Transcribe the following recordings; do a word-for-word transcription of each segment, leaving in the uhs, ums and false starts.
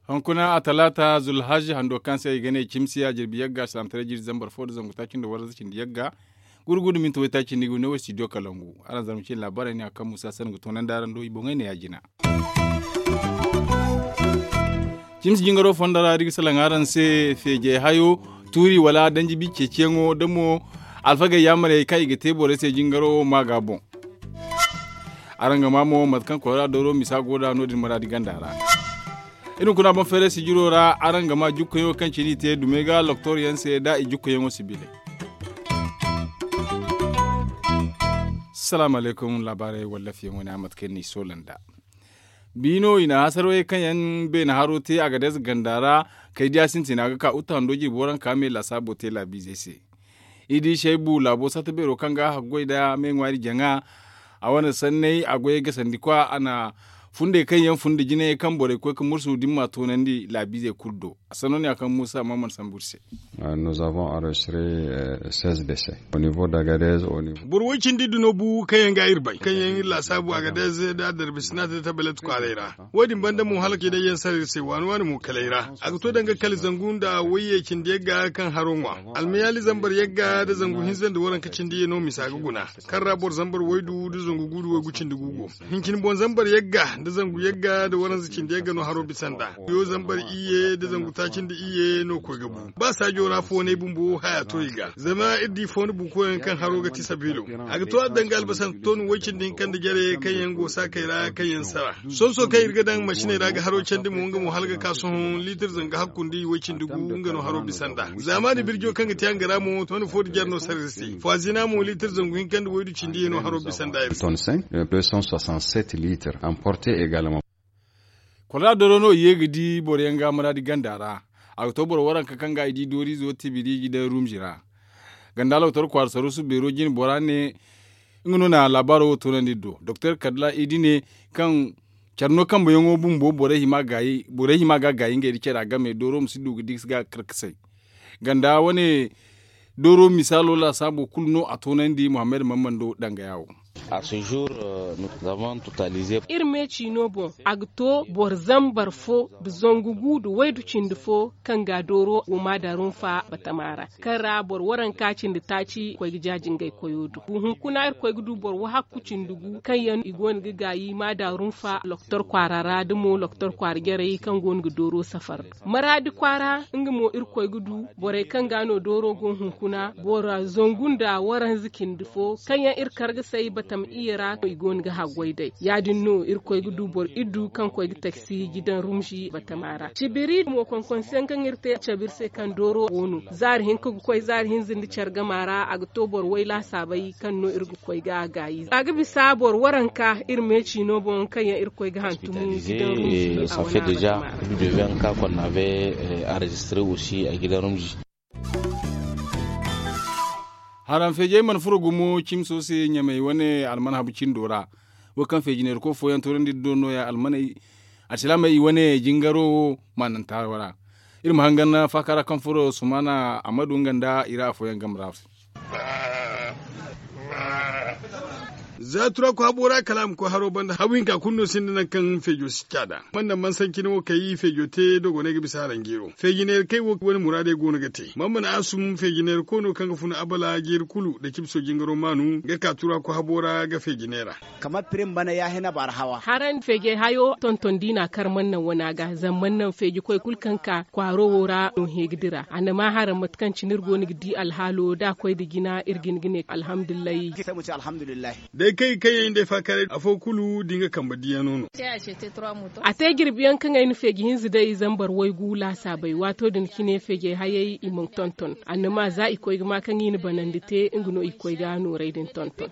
Hunkuna a talaata zulhaji hando kaŋ se i ga ne cimsi a jirbi yagga salamtaray jirbi zambar fo nda zangu taaci nda waranza cindi yagga. Gurgudu minti waytaaci nda i ga ne wo studio kalangu. Araŋ zarma cine laabaarey ne a kaŋ musa sanda ga toonandi araŋ do i boŋey ne ya- jina. Cimsi jingaro fondo ra da i ga salaŋ araŋ se feejey hayo tuuri wala danji bi ceeciyaŋo da mo alfagey yaamarey kaŋ i ga te borey se jingaro wo ma ga boŋ. Araŋ ga maa mo mate kaŋ kora dooro misa go nd'a no- din maraadi ganda ra. Iri hunkuna boŋ feeray sijiro ra araŋ ga maa jukkuyaŋo kaŋ cine i te dumey ga loktor yaŋ se da i jukkuyaŋo si bilay. Salaamu alaykum laabaarey wallafiyaŋo ne a mate kaŋ ni soola nd'a. Bi no i na hasarwey kaŋ yaŋ beene haro te a ga deeze ganda ra kay diya sintina ga ka uta hando jirbi waranka me laasaabo te laabiizey se. I di shaybu laabo satta beero kaŋ ga haggoy nda me ŋwaari jaŋa. A wane sanney a goyey ga sandi kwa a na fundey kaŋ yaŋ fun nda jinayey kaŋ borey koy ga mursu da ni ma toonandi laabiizey kulu do. A sanno ne a kaŋ muusa maman sambu iri se. Boro way cindi iddu no bu kaŋ yaŋ ga iri bay kaŋ yaŋ iri laasaabu a ga day ze nda a darbi sinaata da tabbalet kwaaray ra. Wo- din banda mo hala ka i day yaŋ sara iri se waani waani mo kala ay ra. A ga to danga kala zangu nda wayye cindi yagga kaŋ haro ŋwa. Almayaali zambar yagga nda zangu hinza nda waranka cindi ye no misa ga guna. Kaŋ ra boro zambar waydu nda zangu guudu waygu cindi gu go. Hincin boŋ zambar yagga nda zangu yagga nda waranza cindi yagga no haro bisa nd'a. Yo zambar iyye nda zangu taaci nda iyye no koy ga bu. Ba saajo ra foonay bumbo haya to i ga zama iri di foona buukoyaŋ kaŋ haro ga ti sabiilo. A ga to a danga albasar ton way cindi hinka nda jare kaŋ yaŋ go saakey ra kaŋ yaŋ sara. Sohõ sohõ kaŋ iri ga daŋ masiney ra ga haro candi mo nga mo hala ga ka sohõ liitir zanga hakku nda i way cindi gu nga no haro bisa nd'a. Zaamaani birjo kaŋ ga te a nga ra mo ton fo nda jare no sara iri se. Fazina mo liitir zangu hinka nda waydu cindi ye no haro bisa nd'a iri se. Kwarra dooro no i ye ga di boro yaŋ ga maraadi ganda ra. A ga to boro waranka kaŋ ga i di dooriizo tibiri ga daŋ rumzi ra. Ganda loktor kwaara saruusu beero jine bora ne nga no na laabaaro wo toonandi iri do doktor kadla i di ne kaŋ care no kambeyaŋo bumbo borey hima ga gaayi ngey nda cara game dooro ma si du ga di ga karkasay. Ganda wane dooro misaalo laasaabo kulu no a toonandi muhammad mammando dangaya wo. Iri me ciino boŋ a ga to boro zambar fo nda zangu gu nda waydu cindi fo kaŋ ga dooro go maada rumfa batama ra kaŋ ra boro waranka cindi taaci koy ga jaaji ngey koyo do. Hunkuna irkoy ga du boro wahakku cindi gu kaŋ yaŋ i go no ga gaayi maada rumfa loktor kwaara ra da mo loktor kwaara jarey kaŋ go no ga dooro safar. Maraadi kwaara nga mo irkoy ga du borey kaŋ ga no dooro go hunkuna boro zangu nda waranza cindi fo kaŋ yaŋ iri kar ga say batam iyye ra i go no ga haggoy day ya- din no irkoy ga du boro iddu kaŋ koy ga taksi ga daŋ rumzi batama ra cibiri mo konkonse yaŋ kaŋ iri te cabe iri se kaŋ dooro go no zaari hinka ga koy zaari hinza nda care gama ra a ga to boro way laasaabey kaŋ no iri ga koy ga gaayi a ga bisa boro waranka iri me ciino boŋ kaŋ yaŋ iri koy ga hantumu ga daŋ rumzi a wane batama ra. Haram feejey mana furo gumo cimso se ɲamey wane almanhabu cindo ra. Wo kaŋ feeji neerko fooyaŋ toorandi do nooya almaney alsilaamey i wane jingaro wo maananta wo ra. Iri ma hangan faaka ra kaŋ furo sumaana ammadu nga nda i ra afooyaŋ game ra se. Za turaku habo ra kala a ma koy haro banda habu hinka kulu no sinda nangu kaŋ feejo si caada man naŋ man sanci ni wo kay feejo te dogonay ga bisa haranjeero feeji neera kay wo wane muraadey go no ga te man mana asum feeji neera koy no kaŋ ga fun abala jeeri kulu nda cibso jingaro maanu ga ka turaku habo ra ga feeji neera. Kamar pirim bana ya hina bara hawa. Haran feejey hayo tonton diina kar man naŋ wana ga zama man naŋ feeji koy kulu kaŋ ka kwaaro wo ra no he ga dira a na ma haran mate kaŋ cine iri go no ga di alhaalo da a koy nda jina iri ga hin ga ne alhamdulillahi. Day kaŋ i kaŋ yaŋ day faakaray afo kulu da nga kambe diyaŋo no. A te jirbi yaŋ kaŋ ay na feeji hinza day zambar waygu laasaabay waato din cine feejey hayey i mana tonton annama za i koy ga ma kaŋ i na banandi te nga no i ga koy ga nooray din tonton.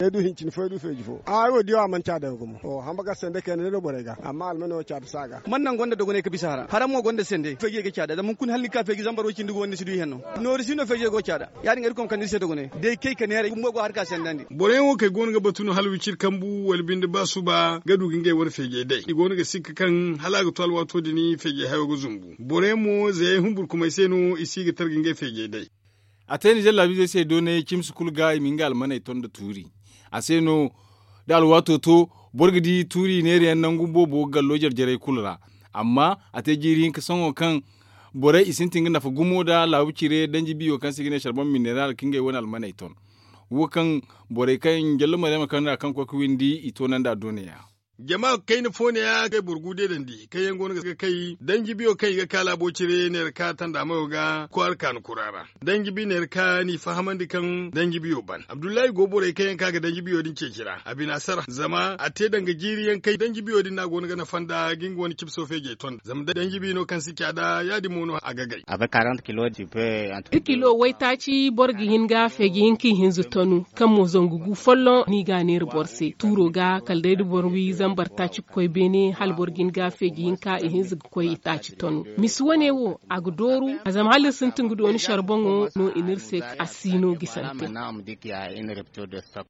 Ay du hincin fo ay du feeji fo ay wo diyo a mana ca daŋ gumo hamba ga sende kayna day no borey ga amma almano wo ca da si a ga man naŋ gonda dogonay ga bisa hara hara mo gonda sende feejey ga ca da zama hunkuna hala ni ga ka feeji zambar way cindi ga wanda ni si du ihenno. Noori si no feejey go ca da ya- din irkoy ma kande iri se dogonay day kay ka neeray bumbo go har ka sendandi. Yaŋ wo kaŋ i go no ga batu no hala wiciri kambu wala binde ba suba ga du ga ngey wane feejey day i go no ga sikka kaŋ hala a ga to alwaato din feejey hayo ga zumbu boro yaŋ mo zayey humburkumey se no i si ga tara ga ngey feejey day. A te ninzeer laabiizey se doonay cimsi kulu ga i ma nga almaney ton nda tuuri. A se no da alwaato to boro ga di tuuri neerayaŋ nangu boobo ga gallo jare-jarey kulu ra. Amma a te jiiri hinka sohõ kaŋ borey i sintin ga nafa gumo nda laabu cire danji biyo kaŋ se i ga ne sarbon mineral ka ngey wane almaney ton. Wo kaŋ borey kaŋ jalla maryama kaŋ ra kaŋ koy ga windi i toonandi a doonaya. Jama kayna fo ne ya kay boro gu deedandi kaŋ yaŋ go no ga kay danji biyo kaŋ i ga ka laabo cire neera ka tanda mayo ga kwaara kaanu kura ra. Danji bi neera ka n'i fahamandi kaŋ danji biyo ban abdullahi go borey kaŋ yaŋ ka ga danji biyo din ceeci ra a bina sara zama a te danga jiiri yaŋ kaŋ danji biyo din no a go no ga nafa nda ga nga wane cibso feejey ton zama danji bi no kaŋ si ca nda ya- din mo no a ga gay. Kilo waytaaci boro ga hin ga feeji hinka ihinza tonu kaŋ mo zangu gu folloŋ no i ga a neera boro se tuuro ga kala day da boro wi zambar taaci ga koy beene hala boro ga hin ga feeji hinka ihinza ga koy itaaci tonu. Misi wane wo a ga dooru a zama hala iri sintin ga dooni sara boŋo no i ne iri se a si no gisante.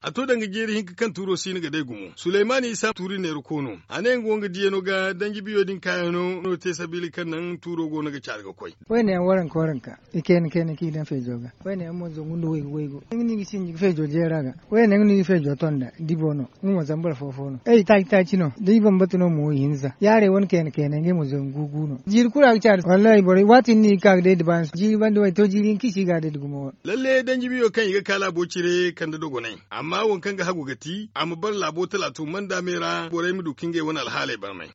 A to danga jeeri hinka kaŋ tuuro si no ga day gumo suleymaani isa tuuri neera koono a ne nga wo nga diyano ga danji biyo din kaayaŋo no te sabiila kaŋ naŋ tuuro go no ga caari ga koy. Wayne yaŋ waranka waranka i kayna kayna kaŋ i daŋ feejo ga. Wayne yaŋ mo zangu nda waygu waygu nga no i ga sinji ga feejo jeera ga. Wayne yaŋ no i ga feejo ton nda dibo no nga mo zambar fo fo no ay taaci taaci no da i bambata no mo ihinza yaaray wane kayna kayna ngey mo zangu gu no jiiri kulu a ga caari wallahi borey waati ni no i ga ka ga day da baani jiiri banda way to jiiri hinka i si ga a day da gumo. Lalle danji biyo kaŋ i ga ka laabo cire kande dogonay amma waŋ kaŋ ga hagu ga ti a ma bare laabo talaato manda me ra borey ma du ka ngey wane alhaaley barmay.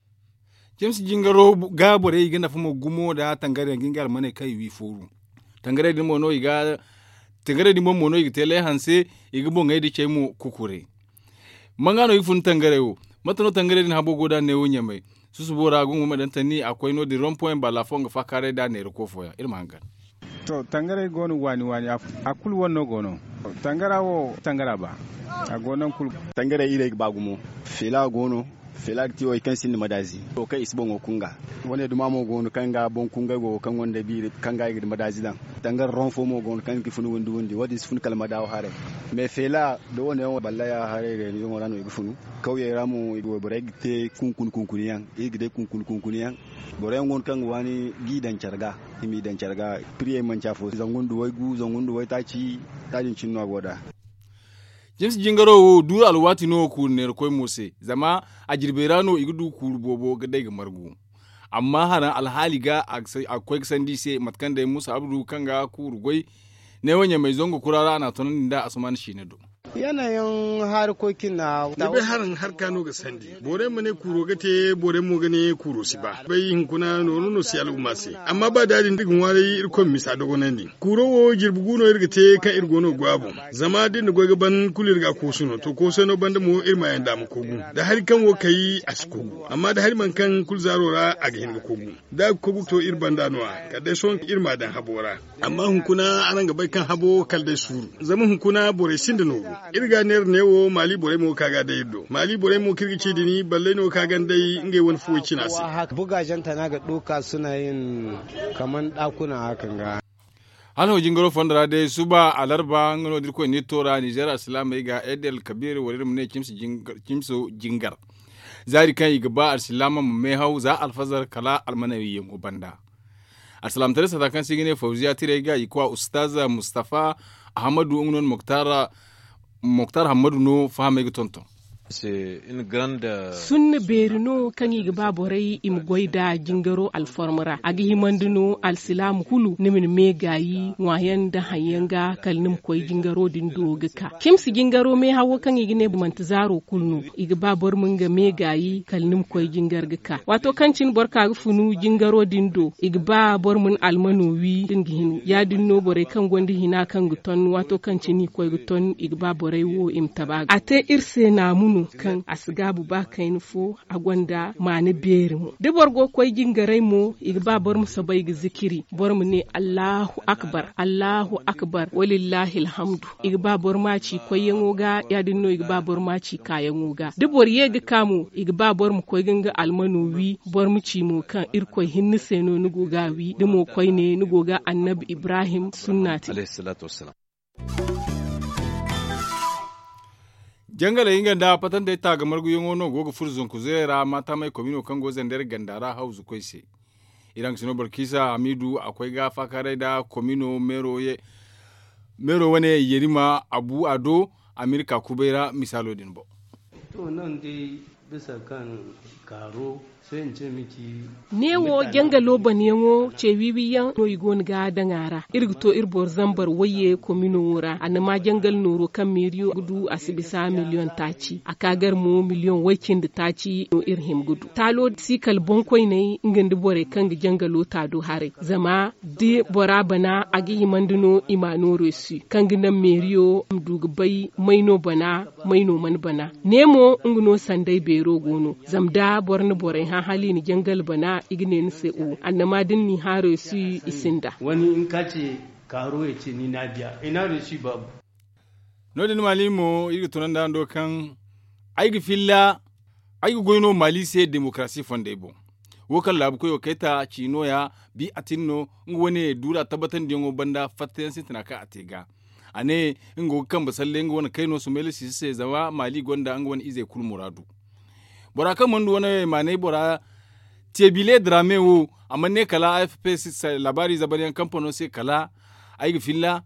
Cimsi jingaro ga borey i ga nafa mo gumo nda tangarey ga ngey almaney kaŋ i wi fooru. Tangarey din boŋ mo no i ga te lay hanse i ga boŋey da cey mo kukure. Manga no i ga fun tangarey wo? Mate no tangarey din habo go da neewo ɲamay susubo ra gungu ma daŋ tanni a koy no- din rompoyaŋ balla fo nga faakaaray da neera koofo yaŋ iri ma hangan. To tangarey go no waani waani a kulu wane no go no. Tangara wo tangara ba a go no nangu kulu. Tangarey irey ga ba gumo. Feela go no. Feela ga ti wo hari kaŋ sinda madaazi wo kaŋ i si boŋo kunga. Wane duma mo go no kaŋ ga boŋ kunga go kaŋ gonda biiri kaŋ ga i ga madaazi daŋ. Tangara ron fo mo go no kaŋ ga fun windi windi wo- din si fun kala madaawo haray. Mais feela da wo- ne yaŋ balla ya haray reenizoŋo ra no i ga funu. Kawyey ra mo wayborey ga te kunkuni kunkuni yaŋ iri ga day kunkuni kunkuni yaŋ. Boro yaŋ go no kaŋ ga waani ga i daŋ care ga i m'i daŋ care ga. Piriyey manci afo zangu nda waygu zangu nda waytaaci. Ya- din cine no a go nd'a. Jimsi jingaro wo duuru alwaati no kuuru neerakoy mo se zama a jirbey ra no i ga du kuuru boobo ga day ga margu. Amma haraŋ alhaali ga a ga koy ga sandi i se mate kaŋ day muusa abdu kaŋ ga kuuru goy neewo ɲamey zangu kura ra a n'a tonandi nd'a asuman siina do. Yanayin harkokin na. Ni bay haraŋ harka no ga sandi. Borey ma ne kuuro ga te borey mo ga ne kuuro si ba bay hunkuna nooru no si al'umma se. Amma ba da- din da i ga ŋwaaray irkoy ma misa dogonandi. Kuuro wo jirbi gu no iri ga te kaŋ iri go no ga goy a boŋ. Zama da iri na goy ga ban kulu iri ga a koosu no to koosay no banda mo iri ma yaŋ da a ma kogu. Da hari kaŋ wo kay a si kogu amma da hari mana kaŋ kulu zaaro ra a ga hin ga kogu. Da a ga kogu to iri banda no- ya kala day sohõ iri ma a daŋ habo ra. Amma hunkuna araŋ ga bay kaŋ habo kala day suuru. Zama hunkuna borey sinda nooru. Iri ga neera neewo maali borey mo ga ka ga day iri do maali borey mo kaŋ iri ga ci din balley no ga ka ganda day ngey wane fuwey cina se. Bugaazanta no a ga du ka suna yin kaman daakuna hakan ga. Hala no jingaro fondo ra day suba alarba nga no da irkoy na iri to ra nizer alsilaamey ga edel kabiir wala iri ma ne cimso jingar. Zaari kaŋ i ga ba alsilaama ma meehaw za alfazar kala almanawiyyaŋo banda. Alsilaamataray sata kaŋ se i ga ne fawziya tirey ga i kwa ustaz mustafa ahamadu nga no na moktar hammadu no fahamey ga tonton. Sunna beeri no kaŋ i ga ba borey i ma goy nd'a jingaro alformo ra a ga himandi no alsilaama kulu ni ma ni meegaayi ŋwaayaŋ nda haŋ yaŋ ga kala ni ma koy jingaro din do ga ka cimsi jingaro meehawo kaŋ i ga ne manti zaaro kulu no. I ga ba boro ma nga meegaayi kala ni ma koy jingar ga ka waato kaŋ cine boro ka ga funu jingaro din do i ga ba boro ma ni almano wi da ni ga hin ya- din no borey kaŋ gonda hina kaŋ ga ton waato kaŋ cine i koy ga ton i ga ba borey wo i ma taba ga a te iri se naamu no kaŋ a si gaabu ba kayna fo. A gonda maana beeri mo da boro go ga koy jingaray mo i ga ba boro ma soobay ga zikiri boro ma ne allahu akbar allahu akbar walillahi alhamdu. I ga ba boro ma ci koyyaŋo ga ya- din no i ga ba boro ma ci kaayaŋo ga da boro ye ga ka mo i ga ba boro ma koy ga nga almano wi. Boro ma ci mo kaŋ irkoy hinne se no ni go ga a wi da mo koyne ni go ga annabi ibrahim sunna te. Jangaley nga nda patantey taaga marguyaŋo no go ga furo zanku zirey ra maataamay komino kaŋ go zandeer ganda ra hawzu koy se. Iraŋ sino barkiisa hamiidu a koy ga faakaaray nda komino meero wane yerima abu a do, amerika kubay ra misaalo din boŋ. To naŋ day bisa kaŋ kaaro se ni ce mi ci. Neewo jangalo banyaŋo ce wiiwi yaŋ no i go no ga daŋ a ra. Iri ga to iri boro zambar wayye komino wo ra a na ma jangal nooro kaŋ meeriyo ga du a si bisa miliyoŋ taaci a ka gar mo miliyoŋ way-cindi taaci no iri hima ga du taalo si kala boŋkoyney nga nda borey kaŋ ga jangalo taado haray zama da bora bana a ga himandi no i ma a nooro si kaŋ ga naŋ meeriyo ma du ga bay may no bana may no mana bana. Ne mo nga no sanday beero go no zama da boro na borey hã hala i na jangal bana i ga ne ni se o annama da ni n'i hã reesu i sinda. Wani nka ce kaaro ya ce ni n'a diya i n'a reesu baabu. No- din maali mo iri ga tunandi hando kaŋ ay ga filla ay ga goy no maali se demokarasi fondey boŋ. Wo kaŋ laabu koyo kayta ci nooya bi a tin no nga wane duura tabbatandiyaŋo banda fattayaŋ sintina kaŋ a te ga a ne nga go ga kambe salle nga wane kayno sumayla sisi se zama maali gonda nga wane izey kulu muraadu. Bora kaŋ mana du wane maanay bora tebile drame wo a mana ne kala afp laabaari zabaryaŋ kampano se kala ay ga filla.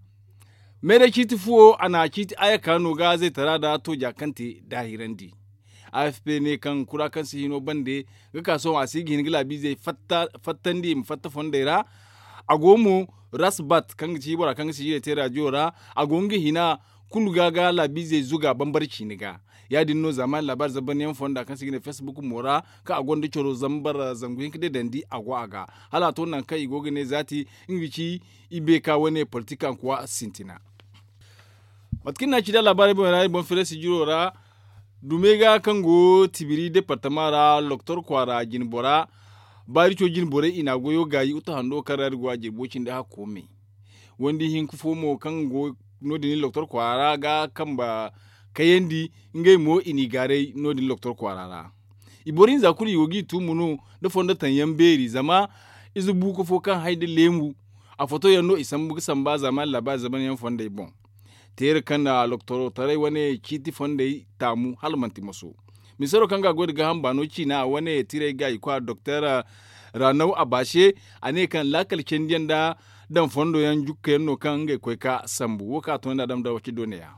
Meeray ciiti fuwo a na ciiti aya ka no ga zaytara da tooja kaŋ te daahirandi. Afp ne kaŋ kura kaŋ si hino bande ga ka sohõ a si ga hin ga laabiizey fattandi i ma fatta fondey ra. A go mo rasbat kaŋ ga ci bora kaŋ ga sijirey te raadiyo ra a go nga hina kulu ga ga laabiizey zuga bambara ciini ga. Ya- din no zaamaani laabaari zambarniyaŋ fonda kaŋ se i ga ne facebook mo ra kaŋ a gonda coro zambar zangu hinka deedandi a go a ga hala a to nangu kaŋ i go ga ne zaati nga ga ci i beeka wane politik ankuwa sintina. Mate kaŋ iri na a ci da laabaarey boŋ ra iri boŋ feere sijiro ra dume ga kaŋ go tibiri departama ra loktor kwaara jinbora baarico jinborey i na a goyo gaayi uta hando kaŋ ra iri go a jirbo cindi hakko me. Wandi hinka fo mo kaŋ go no- din loktor kwaara ga kambe kayandi ngey mo i n'i gaaray no- din loktor kwaara ra. I boro hinza kulu i go g'i tuumu no nda fondo taŋ yaŋ beeri zama ize buuko fo kaŋ hay nda leemu a foto yaŋ no i sambu ga samba zaamaani laabaari zamanyaŋ fondey boŋ. Teera kaŋ na loktooro taray wane ciiti fondey taamu hala manti moso. Misaro kaŋ ga a goy nda gaaham baano ciina a wane tiray gaayi kwa doktor ranaw a baase a ne kaŋ laakal candiyaŋ nda daŋ fondo yaŋ jukka yaŋ no kaŋ ngey koy ka sambu wo kaŋ a to nda a daŋ nda waci doone ya.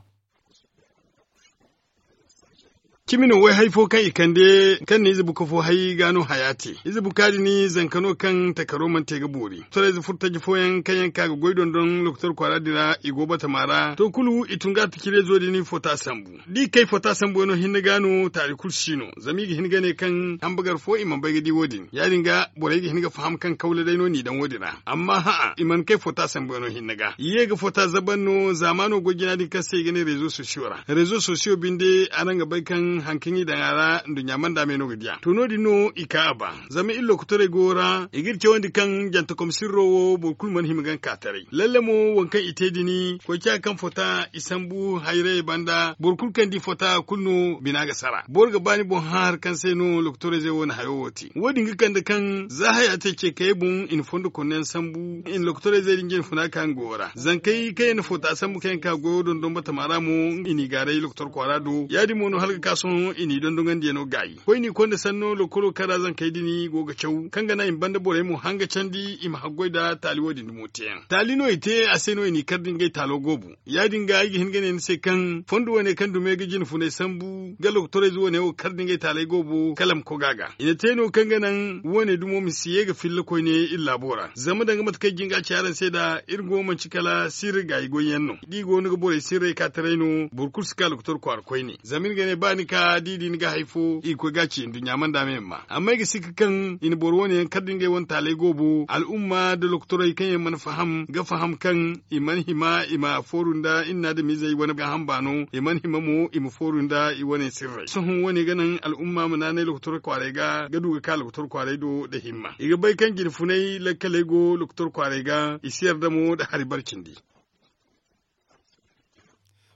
Cimi no way hay fo kaŋ i kande kaŋ na ize buka fo hay ga no haya te ize buka din zanka no kaŋ takaro mana te ga boori torayze furo taji fooyaŋ kaŋ yaŋ ka ga goy dondon lokotor kwaara din ra i go batama ra to kulu i tun ga a taci reezo din fota sambu da i kay fota sambu wano hinne ga no taari kulu si no zama i ga hin ga ne kaŋ hambagar fo i mana bay ga di wo- din ya- din ga borey ga hin ga faham kaŋ kawla day no n'i daŋ wo- din ra amma hã'a i mana kay fota sambu wano hinne ga i ye ga fota zaban no zaamaano goy jina din kaŋ se i ga ne reezo sosiyo ra reezo sosiyo binde araŋ ga bay kaŋ hari kaŋ i daŋ a ra nduɲɲa manda me no ga di a to no- din no i ka a ba zama iri lokotorey go ra i ga iri cawandi kaŋ jantakom sirro wo boro kulu mana hima ga nga ka taray lalle mo waŋ kaŋ i te din koy ciya kaŋ fota i sambu hayrayey banda boro kulu kaŋ di fota kulu no bina ga sara boro ga ba ni boŋ hã hari kaŋ se no lokotorey zey wo na hayo wo te wo- din ga kande kaŋ za haya te ce kayey boŋ i na fondo konno yaŋ sambu i na lokotorey zey din jinfuna ka nga go ra zankey kaŋ yaŋ na fota sambu kaŋ yaŋ ka goyo dondon batama ra mo i n'i gaaray lokotor kwaara do ya- din mo no hala ga ka sohõ i n'i dondonandi yaŋo gaayi koyne konda sanno lokolo kaŋ ra zankey din go ga caw kaŋ ga naŋ i ma banda borey mo hanga candi i ma haggoy nda taali wo- din dumo teyaŋ taali no i te a se no i n'i kar da ngey taalo goobu ya- din ga ay ga hin ga ne ni se kaŋ fondo wane kaŋ dume ga jinfunay sambu ga lokotorayze wane wo kar da ngey taalay goobo kala ma koga ga i na te no kaŋ ga naŋ wane dumo ma si ye ga filla koyne iri laabo ra zama danga mate kaŋ ay jin ga a ci araŋ se nd'a iri go manci kala sirri gaayi goy yaŋ no da i go no ga borey sirray ka taray no boro kulu si ka lokotor kwaara koyne zama iri ga ne ba ni ka da i di ni ga hay fo i ga koy ga a ci nduɲɲa manda me ma amma ay ga sikka kaŋ i na boro wane yaŋ kar da ngey wane taalay goobo al'umma nda lokotorey kaŋ yaŋ mana faham ga faham kaŋ i mana hima i ma fooru nda iri na adamizey wane gaaham baano i mana hima mo i ma fooru nda i wane sirrey sohõ wane ga naŋ al'umma ma naanay lokotor kwaaray ga ga du ga ka lokotor kwaaray do nda himma i ga bay kaŋ jinfunay lakkaley go lokotor kwaaray ga i si yarda mo nda hari bare cindi.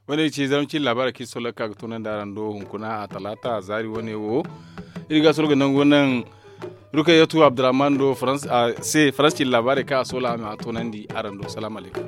Wane ci zarma cindi laabaarey kaŋ i solla ga ka ga toonandi araŋ do hunkuna a talaata zaari wane wo iri ga a soro ga nangu naŋ rukayatu abdurrahman do se faransi cindi laabaarey kaŋ a solla a ma a toonandi araŋ do salaamu alaykum.